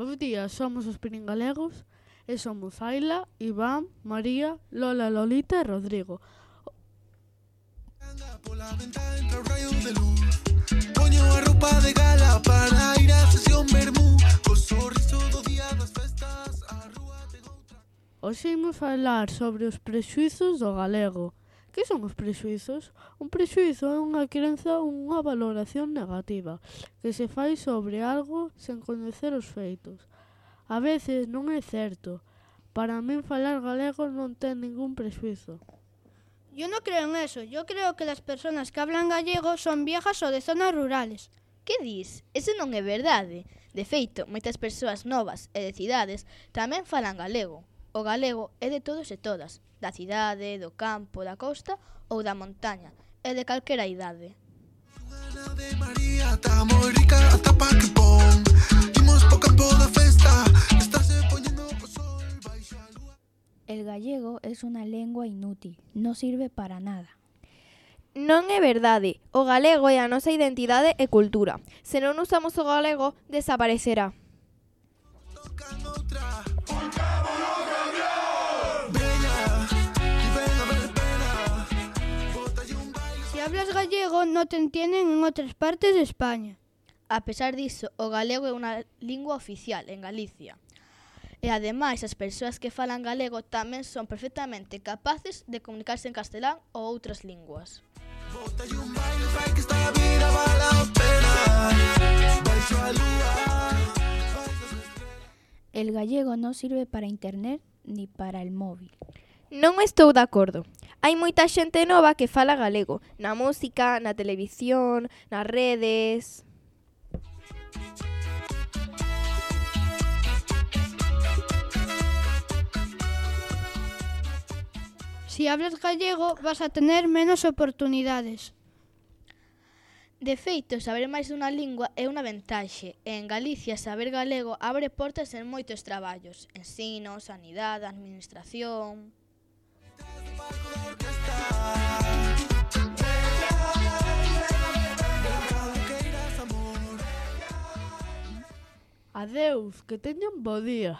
Bos días, somos os Piringalegos e somos Aila, Iván, María, Lola, Lolita e Rodrigo. Pola venta entra o raio de luz. Poño a roupa de gala para ir á sesión vermú. Co sorriso do día das festas a rúa ten outra. Hoxe imos falar sobre os prexuizos do galego. Que son os prexuizos? Un prexuizo é unha crenza ou unha valoración negativa que se fai sobre algo sen coñecer os feitos. A veces non é certo. Para min falar galego non ten ningún prexuizo. Yo no creo en eso. Yo creo que las personas que hablan gallego son viejas o de zonas rurales. Que dis? Eso non é verdade. De feito, moitas persoas novas e de cidades tamén falan galego. O galego é de todos e todas, da cidade, do campo, da costa ou da montaña, e de calquera idade. Ana de María está moi rica ata pa que pon. Imos po campo da festa, estáse poñendo o sol baixo a lúa. El gallego es una lengua inútil, no sirve para nada. Non é verdade. O galego é a nosa identidade e cultura. Se non usamos o galego, desaparecerá. Tocan outra. Veña, y ven a ver pena. Bótalle un baile. Si hablas gallego no te entienden en otras partes de España. A pesar diso, o galego é unha lingua oficial en Galicia. E ademais, as persoas que falan galego tamén son perfectamente capaces de comunicarse en castelán ou outras linguas. Bótalle un baile, fai que esta vida vale a pena. Baixo a lúa. El gallego no sirve para internet ni para el móvil. Non estou de acordo. Hai moita xente nova que fala galego, na música, na televisión, nas redes. Si hablas gallego vas a tener menos oportunidades. De feito, saber máis dunha lingua é unha ventaxe, e en Galicia saber galego abre portas en moitos traballos, ensino, sanidade, administración. Adeus, que teñan bo día.